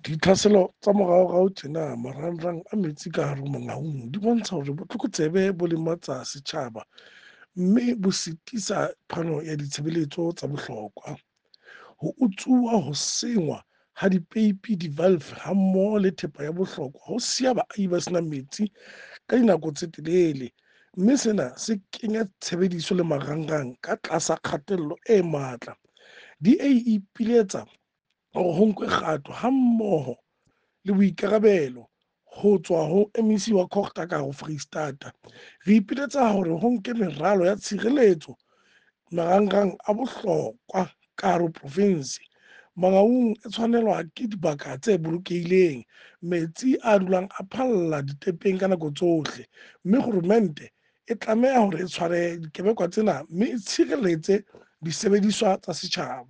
Ditlhaselo tsa moraorao tjena marangrang a metsi ka hare ho Mangaung di bontsha hore botlokotsebe bo lematsa setjhaba mme bo sitisa phano ya ditshebeletso tsa bohlokwa. Ho utsuwa, ho senngwa ha dipeipi, di-valve hammoho le thepa ya bohlokwa ho siya baahi ba sena metsi ka dinako tse telele, mme sena se kenya tshebediso le marangrang ka tlasa kgatello e matla. DA e ipiletsa hore ho nkwe kgato hammoho le boikarabelo ho tswa ho MEC wa COGTA ka hare ho Foreisetata. Re ipiletsa hore ho nke meralo ya tshireletso marangrang a bohlokwa ka hare ho profinsi. Mangaung e tshwanelwa ke dibaka tse bolokehileng, metsi a dulang a phalla ditepeng ka nako tsohle, mme kgoromente e tlameha hore e tshware dikebekwa tsena mme e tshireletse disebediswa tsa setjhaba.